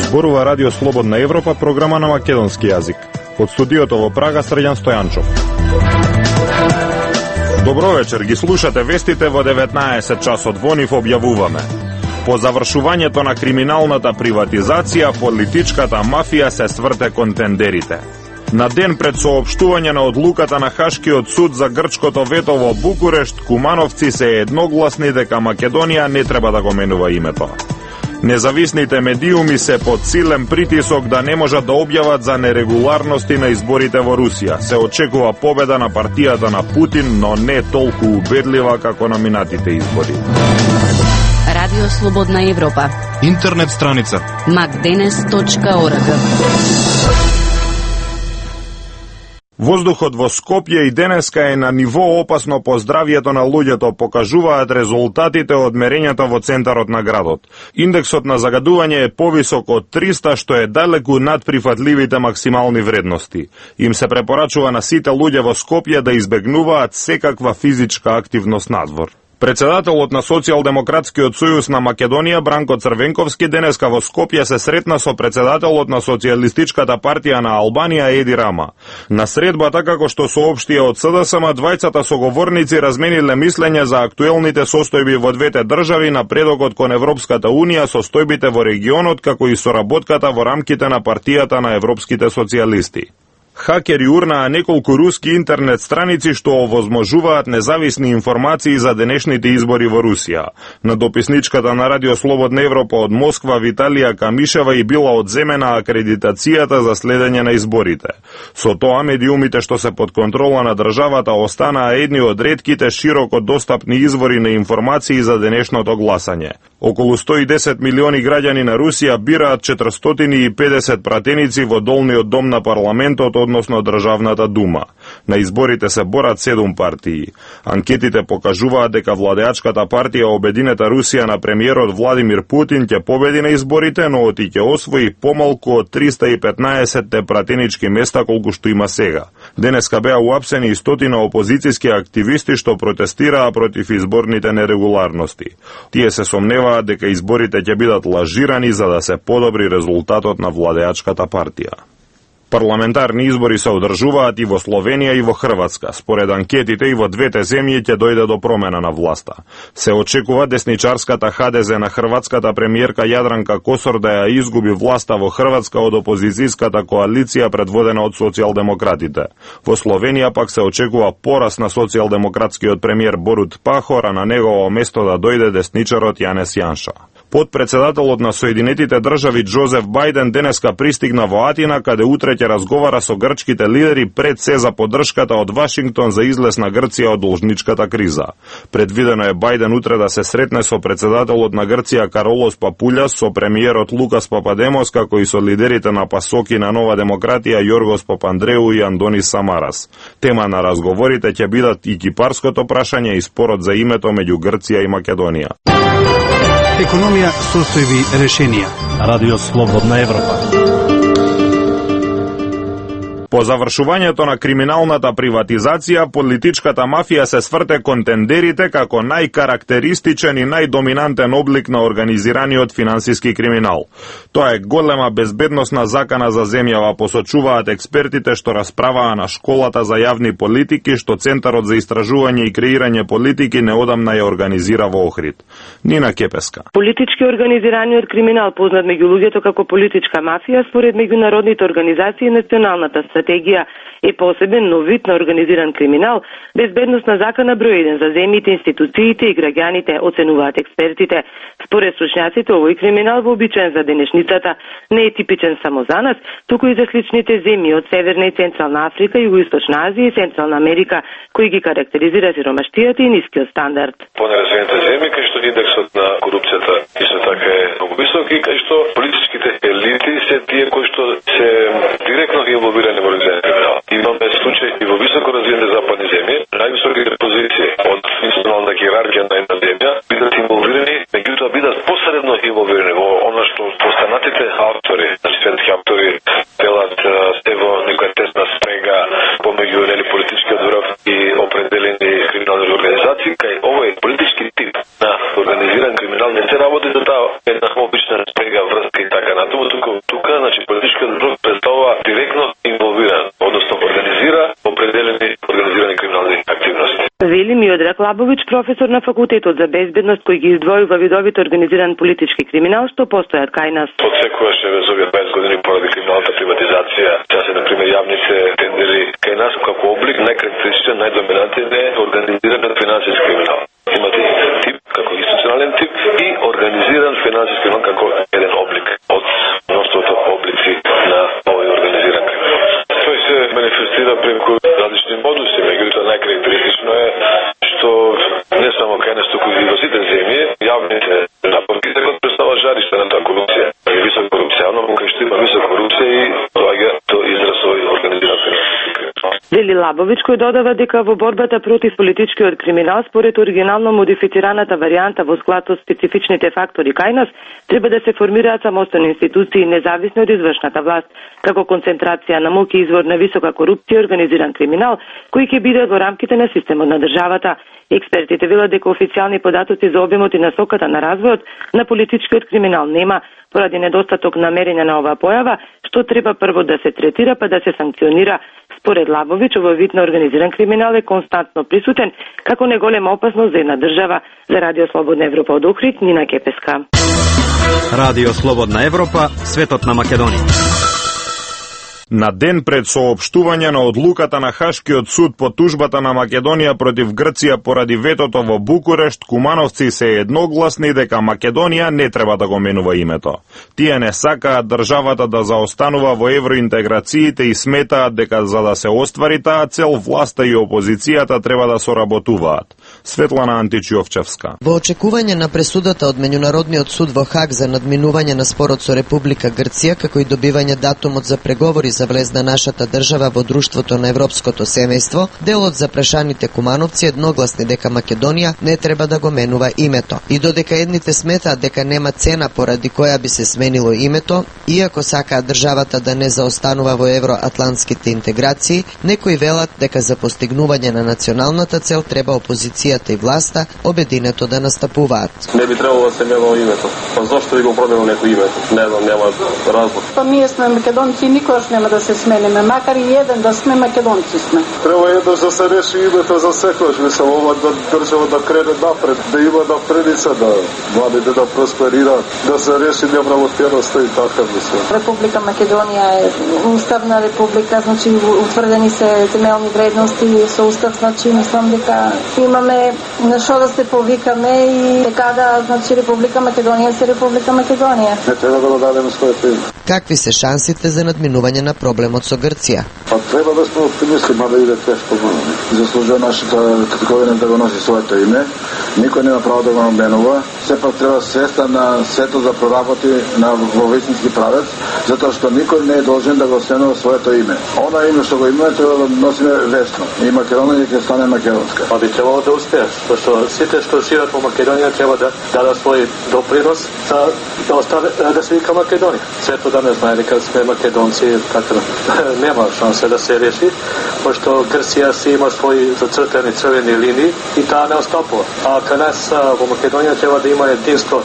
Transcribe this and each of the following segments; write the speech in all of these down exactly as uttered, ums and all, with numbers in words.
Зборува Радио Слободна Европа, програма на македонски јазик. Од студиото во Прага, Срđan Стојанчов. Добро вечер, ги слушате вестите во деветнаесет часот. Во нив објавуваме: по завршувањето на криминалната приватизација, политичката мафија се сврте кон тендерите. На ден пред соопштување на одлуката на Хашкиот суд за грчкото вето во Букурешт, кумановци се едногласни дека Македонија не треба да го менува името. Независните медиуми се под силен притисок да не можат да објават за нерегуларности на изборите во Русија. Се очекува победа на партијата на Путин, но не толку убедлива како на минатите избори. Радио Слободна Европа. Интернет страница макденес точка орг. Воздухот во Скопје и денеска е на ниво опасно по здравјето на луѓето, покажуваат резултатите од мерењата во центарот на градот. Индексот на загадување е повисок од триста, што е далеку над прифатливите максимални вредности. Им се препорачува на сите луѓе во Скопје да избегнуваат секаква физичка активност надвор. Председателот на Социјалдемократскиот сојуз на Македонија Бранко Црвенковски денеска во Скопје се сретна со председателот на Социјалистичката партија на Албанија Еди Рама. На средбата, како што соопштија од СДСМ, двајцата соговорници размениле мислење за актуелните состојби во двете држави, напредокот кон Европската Унија, состојбите во регионот, како и соработката во рамките на партијата на европските социјалисти. Хакери урнаа неколку руски интернет страници што овозможуваат независни информации за денешните избори во Русија. На дописничката на Радио Слободна Европа од Москва Виталија Камишева и била одземена акредитацијата за следење на изборите. Со тоа медиумите што се под контрола на државата останаа едни од ретките широко достапни извори на информации за денешното гласање. Околу сто и десет милиони граѓани на Русија бираат четиристотини и педесет пратеници во долниот дом на парламентот, односно Државната дума. На изборите се борат седум партии. Анкетите покажуваат дека владеачката партија Обединета Русија на премиерот Владимир Путин ќе победи на изборите, но оти ќе освои помалку од триста и петнаесет пратенички места колку што има сега. Денеска беа уапсени и стотина опозицијски активисти што протестираа против изборните нерегуларности. Тие се сомневаат дека изборите ќе бидат лажирани за да се подобри резултатот на владеачката партија. Парламентарни избори се одржуваат и во Словенија и во Хрватска. Според анкетите и во двете земји ќе дојде до промена на власта. Се очекува десничарската ХДЗ на хрватската премиерка Јадранка Косор да ја изгуби власта во Хрватска од опозицијската коалиција предводена од социјалдемократите. Во Словенија пак се очекува пораст на социјалдемократскиот премиер Борут Пахор, а на негово место да дојде десничарот Јанес Јанша. Подпредседателот на Соединетите држави Џозеф Бајден денеска пристигна во Атина, каде утре ќе разговара со грчките лидери пред се за поддршката од Вашингтон за излез на Грција од должничката криза. Предвидено е Бајден утре да се сретне со председателот на Грција Каролос Папулјас, со премиерот Лукас Пападемос, како и со лидерите на Пасоки на Нова демократија Јоргос Папандреу и Андонис Самарас. Тема на разговорите ќе бидат и кипарското прашање и спорот за името меѓу Грција и Македонија. Економија, состојби, решенија. Радио Слободна Европа. По завршувањето на криминалната приватизација, политичката мафија се сврте кон тендерите како најкарактеристичен и најдоминантен облик на организираниот финансиски криминал. Тоа е голема безбедносна закана за земјава, посочуваат експертите што расправаа на школата за јавни политики, што Центарот за истражување и креирање политики неодамна ја организира во Охрид. Нина Кепеска. Политички организираниот криминал, познат меѓу луѓето како политичка мафија, според меѓународните организации и националната стратегија е посебен нов вид на организиран криминал, безбедносна закана број еден за земјите, институциите и граѓаните, оценуваат експертите. Според стручњаците, овој криминал вообичаен за денешницата не е типичен само за нас, туку и за сличните земји од Северна и Централна Африка, Југоисточна Азија и Централна Америка, кои ги карактеризира сиромаштијата и нискиот стандард. Понеразвиените земји, кај што индексот на корупцијата исто така е многу висок и кај што политичките елити се тие кои што се директно инволвирани во организираниот криминал. Имаме случаи и во високо развиените западни земји, највисоките позиции од институционална иерархија на една земја бидат инволвирани, меѓутоа бидат посредно инволвирани во она што постанатите автори, значи светски автори, делат ево некоја тесна спрега помеѓу нели политичкиот врв и определени криминални организации, кај овој политички тип на организиран криминал не се работи за таа една обична спрега, врска и така натаму, тука, тука значи политичкиот блок представува директно инволвиран, односно организира определени организирани криминални активности. Вели Миодраг Лабовиќ, професор на факултетот за безбедност, кој ги издвојува видовите организиран политички криминал што постојат кај нас. Од секогаш е вез овие дваесет години поради криминалната приватизација, сега се например јавните тендери кај нас како облик најкарактеристичен, најдоминантен е организиран финансиски криминал. Имате тип како институционален тип и организиран финансиски криминал како еден облик од мноштвото облици на овој организиран криминал. Тој се манифестира преку различни модуси, меѓутоа најкарактеристично е што не само кај нас, туку и во сите земји, јавните напорки се представува жариште на таа корупција. Висока корупција, но кај што има висока корупција и доаѓа до израз овој организиран финансиски криминал. Вели Лабовиќ, кој додава дека во борбата против политичкиот криминал, според оригинално модифицираната варијанта во склад со специфичните фактори кај нас, треба да се формираат самостојни институции независни од извршната власт, како концентрација на моќ и извор на висока корупција и организиран криминал, кои ќе бидат во рамките на системот на државата. Експертите велат дека официјални податоци за обемот и насоката на развојот на политичкиот криминал нема, поради недостаток намерење на оваа појава, што треба прво да се третира па да се санкционира. Според Лабовиќ, овој вид на организиран криминал е константно присутен како неголема опасност за една држава. За Радио Слободна Европа од Охрид, Нина Кепеска. Радио Слободна Европа, светот на Македонија. На ден пред соопштување на одлуката на Хашкиот суд по тужбата на Македонија против Грција поради ветото во Букурешт, кумановци се едногласни дека Македонија не треба да го менува името. Тие не сакаат државата да заостанува во евроинтеграциите и сметаат дека за да се оствари таа цел, власта и опозицијата треба да соработуваат. Светлана Античиовчевска. Во очекување на пресудата од Меѓународниот суд во Хаг за надминување на спорот со Република Грција, како и добивање датумот за преговори за влез на нашата држава во друштвото на европското семејство, делот за прашаните кумановци едногласни дека Македонија не треба да го менува името. И додека едните сметаат дека нема цена поради која би се сменило името, иако сакаат државата да не заостанува во евроатлантските интеграции, некои велат дека за постигнување на националната цел треба опозицијата и власта обединето да настапуваат. Не би требало да се менува името. Па зошто би го променил некој името? Не знам, нема разлог. Па ние сме македонци и никогаш нема да се смениме, макар и еден да сме, македонци сме. Треба еднаш да се реши името за секојаш, мислам, ова да држава да крене напред, да има напредица, да младите да просперираат, да се реши неправомерноста и така, мислам. Република Македонија е уставна република, значи утврдени се темелни вредности со устав, значи мислам дека имаме на што да се повикаме и дека да, значи Република Македонија се Република Македонија. Не треба да го дадеме своето име. Какви се шансите за надминување на проблемот со Грција? Па треба да сме оптимисти, мада иде тешко. Заслужува нашата категорија да го носи своето име. Никој нема право да го наменува. Сепак треба сеста на сето да проработи на во вистински правец, затоа што никој не е должен да го сменува своето име. Она име што го имаме треба да носиме вечно. И Македонија ќе стане македонска. Па би требало да успееш, зашто сите што живеат во Македонија треба да дадат свој допринос за да остане да се вика Македонија. Сето да не знае дека сме македонци, така нема шанса да се реши, пошто Грција си има своји зацртани црвени линии и таа не остапува. А кај нас во Македонија треба да има единство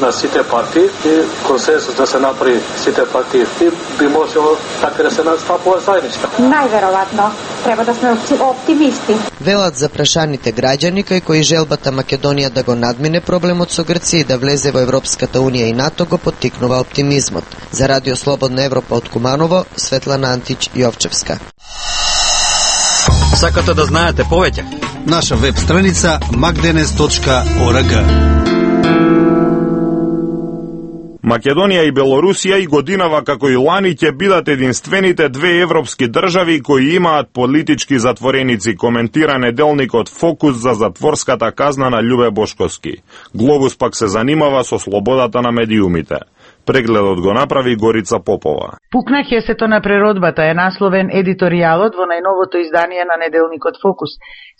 на сите партии и консенсус да се направи сите партии и би можело така да се настапува заедничка. Најверојатно треба да сме оптимисти. Велат за прашаните граѓани кај кои желбата Македонија да го надмине проблемот со Грција и да влезе во Европската унија и НАТО го поттикнува оптимизмот. За Радио Слободна Европа од Куманово, Светлана Антич Јовчевска. Сакате да знаете повеќе? Наша веб страница макденес точка орг. Македонија и Белорусија и годинава како и лани ќе бидат единствените две европски држави кои имаат политички затвореници, коментира неделникот Фокус за затворската казна на Љубе Бошковски. Глобус пак се занимава со слободата на медиумите. Прегледот го направи Горица Попова. Пукна хесето на природбата е насловен едиторијалот во најновото издание на неделникот Фокус.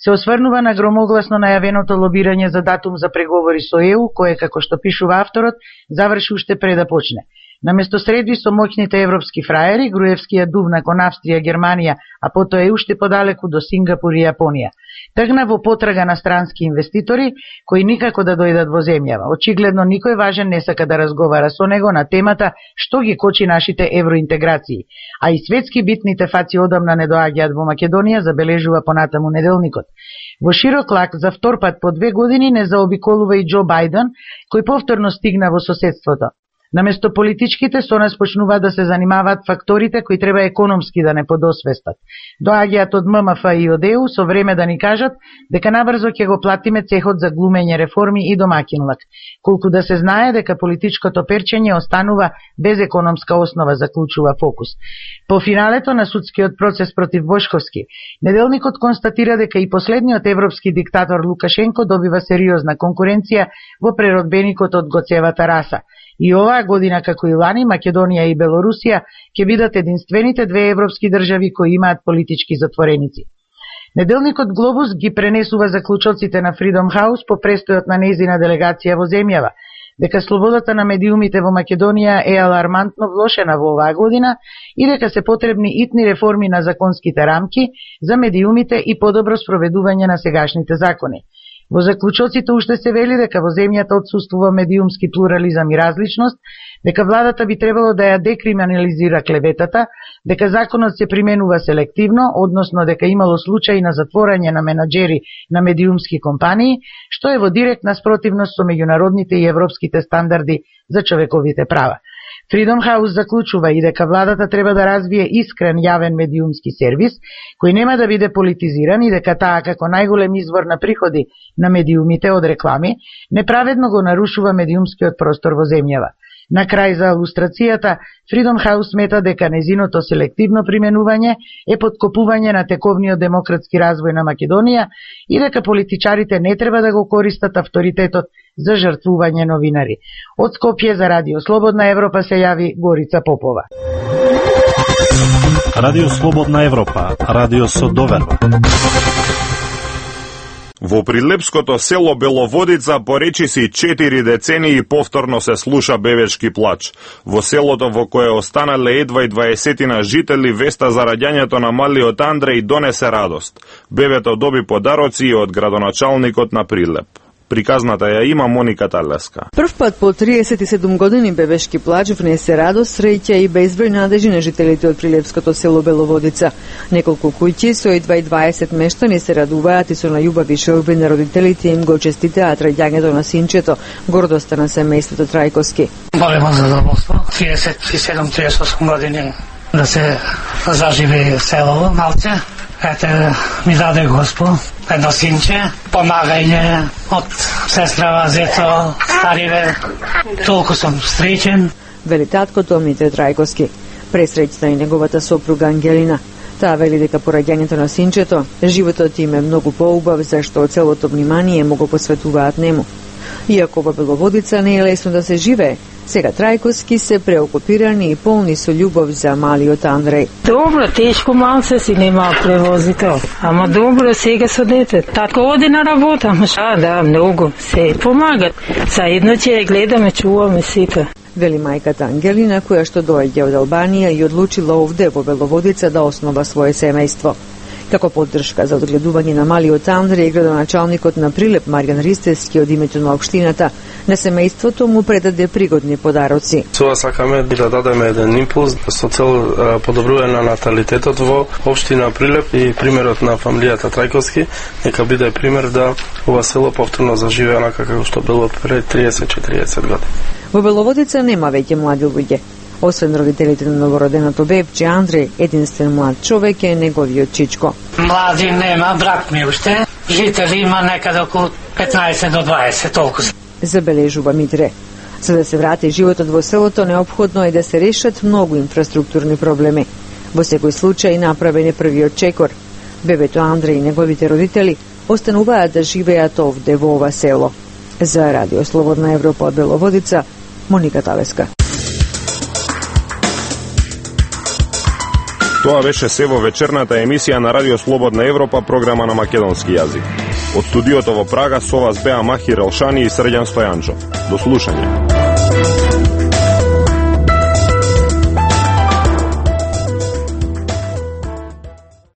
Се осврнува на громогласно најавеното лобирање за датум за преговори со Е У, кое, како што пишува авторот, заврши уште пред да почне. Наместо средби со моќните европски фраери, Груевскиот дувна кон Австрија, Германија, а потоа и уште подалеку до Сингапур и Јапонија. тргна во потрага на странски инвеститори кои никако да дојдат во земјава. Очигледно никој важен не сака да разговара со него на темата што ги кочи нашите евроинтеграции, а и светски битните фаци одамна не доаѓаат во Македонија, забележува понатаму неделникот. Во широк лак за втор пат по две години не заобиколува и Џо Бајден, кој повторно стигна во соседството. Наместо политичките со нас почнуваат да се занимаваат факторите кои треба економски да не подосвестат. Доаѓаат од М М Ф и од Е У со време да ни кажат дека набрзо ќе го платиме цехот за глумење реформи и домакинлак, колку да се знае дека политичкото перчење останува без економска основа, заклучува Фокус. По финалето на судскиот процес против Бошковски, неделникот констатира дека и последниот европски диктатор Лукашенко добива сериозна конкуренција во преродбеникот од Гоцевата раса. И оваа година, како и лани, Македонија и Белорусија ќе бидат единствените две европски држави кои имаат политички затвореници. Неделникот Глобус ги пренесува заклучоците на Freedom House по престојот на нејзина делегација во земјава, дека слободата на медиумите во Македонија е алармантно влошена во оваа година и дека се потребни итни реформи на законските рамки за медиумите и подобро спроведување на сегашните закони. Во заклучоците уште се вели дека во земјата отсуствува медиумски плурализам и различност, дека владата би требало да ја декриминализира клеветата, дека законот се применува селективно, односно дека имало случаи на затворање на менаџери на медиумски компании, што е во директна спротивност со меѓународните и европските стандарди за човековите права. Freedom House заклучува и дека владата треба да развие искрен јавен медиумски сервис, кој нема да биде политизиран и дека таа како најголем извор на приходи на медиумите од реклами, неправедно го нарушува медиумскиот простор во земјава. На крај за илустрацијата, Freedom House смета дека незиното селективно применување е подкопување на тековниот демократски развој на Македонија и дека политичарите не треба да го користат авторитетот за жртвување новинари. Од Скопје за Радио Слободна Европа се јави Горица Попова. Радио Слободна Европа, радио со доверба. Во прилепското село Беловодица по речиси четири децении повторно се слуша бебешки плач. Во селото во кое останале едва и дваесетина жители, веста за раѓањето на малиот Андреј донесе радост. Бебето доби подароци од градоначалникот на Прилеп. Приказната ја има Моника Талеска. Прв пат по триесет и седум години бебешки плач внесе радост, среќа и безброј надежи на жителите од прилепското село Беловодица. Неколку куќи со едва и дваесет мештани се радуваат и со најубави шелби на родителите им го честитаат раѓањето на синчето, гордоста на семејството Трајковски. Големо задоволство, триесет и седум до триесет и осум години да се заживи село малце. Ете, ми даде Господ едно синче, помагање од сестра зето, стариве, толку сум среќен. Вели таткото Митре Трајковски. Пресреќна и неговата сопруга Ангелина. Таа вели дека по раѓањето на синчето, животот им е многу поубав, зашто целото внимание му го посветуваат нему. Иако во Беловодица не е лесно да се живее, сега Трајковски се преокупирани и полни со љубов за малиот Андреј. Добро, тешко малце си нема превозител, ама добро сега со дете. Татко оди на работа, ама ша, да, многу, се помагат. Заедно ќе ја гледаме, чуваме сите. Вели мајката Ангелина, која што доаѓа од Албанија и одлучила овде во Беловодица да основа свое семејство. Како поддршка за одгледување на малиот Андреј, градоначалникот на Прилеп Маријан Ристевски од името на општината на семејството му предаде пригодни подароци. Сога сакаме да дадеме еден импулс со цел подобрување на наталитетот во општина Прилеп и примерот на фамилијата Трајковски нека биде пример да ова село повторно заживее онака како што било пред триесет до четириесет години. Во Беловодица нема веќе млади луѓе. Освен родителите на новороденото бебче Андреј, единствен млад човек е неговиот чичко. Млади нема, брат ми уште. Жители има некаде околу петнаесет до дваесет, толку. Забележува Митре. За да се врати животот во селото, неопходно е да се решат многу инфраструктурни проблеми. Во секој случај направен е првиот чекор. Бебето Андреј и неговите родители остануваат да живеат овде во ова село. За Радио Слободна Европа од Беловодица, Моника Талеска. Тоа беше се во вечерната емисија на Радио Слободна Европа, програма на македонски јазик. Од студиото во Прага со вас беа Махир Елшани и Срđan Стојанчов. До слушање.